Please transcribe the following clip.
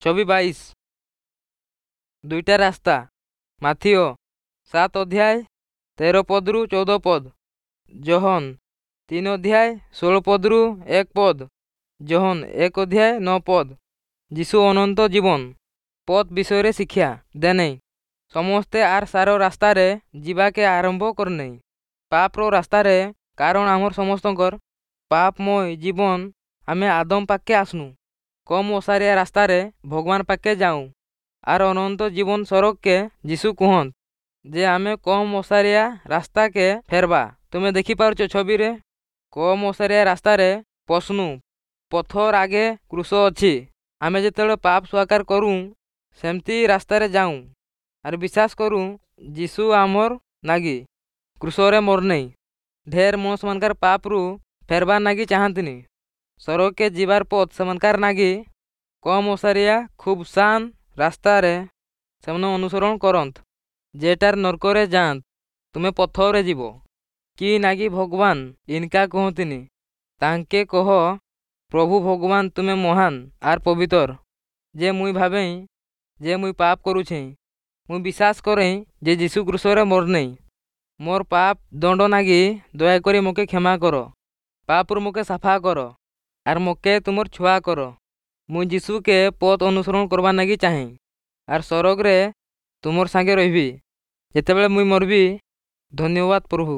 ଛବି 22। ଦୁଇଟା ରାସ୍ତା। ମାଥିୟ 7 ଅଧ୍ୟାୟ 13 ପଦରୁ 14 ପଦ, ଯୋହନ 3 ଅଧ୍ୟାୟ 16 ପଦରୁ 1 ପଦ, ଯୋହନ 1 ଅଧ୍ୟାୟ 9 ପଦ। ଯୀଶୁ ଅନନ୍ତ ଜୀବନ ପଥ ବିଷୟରେ ଶିକ୍ଷା ଦେନେଇ। ସମସ୍ତେ ଆର୍ ସାର ରାସ୍ତାରେ ଯିବାକେ ଆରମ୍ଭ କରନେଇ, ପାପର ରାସ୍ତାରେ, କାରଣ ଆମର ସମସ୍ତଙ୍କର ପାପମୟ ଜୀବନ। ଆମେ ଆଦମ ପାଖକେ ଆସନୁ। କମ୍ ଓସାରିଆ ରାସ୍ତାରେ ଭଗବାନ ପାଖକେ ଯାଉଁ ଆର୍ ଅନନ୍ତ ଜୀବନ ସରଗକେ। ଯୀଶୁ କୁହନ୍ତ ଯେ ଆମେ କମ୍ ଓସାରିଆ ରାସ୍ତାକେ ଫେରବା। ତୁମେ ଦେଖିପାରୁଛ ଛବିରେ, କମ୍ ଓସାରିଆ ରାସ୍ତାରେ ପଶନୁ, ପଥର ଆଗେ କ୍ରୁଶ ଅଛି। ଆମେ ଯେତେବେଳେ ପାପ ସ୍ୱୀକାର କରୁଁ, ସେମିତି ରାସ୍ତାରେ ଯାଉଁ ଆର୍ ବିଶ୍ୱାସ କରୁଁ ଯୀଶୁ ଆମର୍ ନାଗି କ୍ରୁଶରେ ମରନେଇ। ଢେର ମଣିଷମାନଙ୍କର ପାପରୁ ଫେରବାର୍ ନାଗି ଚାହାନ୍ତିନି। ସରଗକେ ଯିବାର ପଥ ସେମାନଙ୍କର ନାଗି କମ୍ ଓସାରିଆ ଖୁବ୍ ସାନ ରାସ୍ତାରେ ସେମାନେ ଅନୁସରଣ କରନ୍ତ, ଯେଟାର ନର୍କରେ ଯାଆନ୍ତ। ତୁମେ ପଥରେ ଯିବ କି ନାଗି ଭଗବାନ ଇନକା କୁହନ୍ତିନି। ତାଙ୍କେ କହ, ପ୍ରଭୁ ଭଗବାନ, ତୁମେ ମହାନ ଆର୍ ପବିତର, ଯେ ମୁଇଁ ଭାବେଇଁ ଯେ ମୁଇଁ ପାପ କରୁଛେଁ। ମୁଇଁ ବିଶ୍ୱାସ କରେଁ ଯେ ଯୀଶୁ କ୍ରୁଶରେ ମରନେଇ ମୋର୍ ପାପ ଦଣ୍ଡ ନାଗି। ଦୟାକରି ମକେ କ୍ଷମା କର, ପାପରୁ ମକେ ସାଫା କର ଆର୍ ମକେ ତୁମର ଛୁଆ କର। ମୁଇଁ ଯୀଶୁକେ ପଥ ଅନୁସରଣ କରବାର୍ ନାଗି ଚାହେଁ ଆର୍ ସରଗରେ ତୁମର ସାଙ୍ଗେ ରହିବି ଯେତେବେଳେ ମୁଇଁ ମରବି। ଧନ୍ୟବାଦ ପ୍ରଭୁ।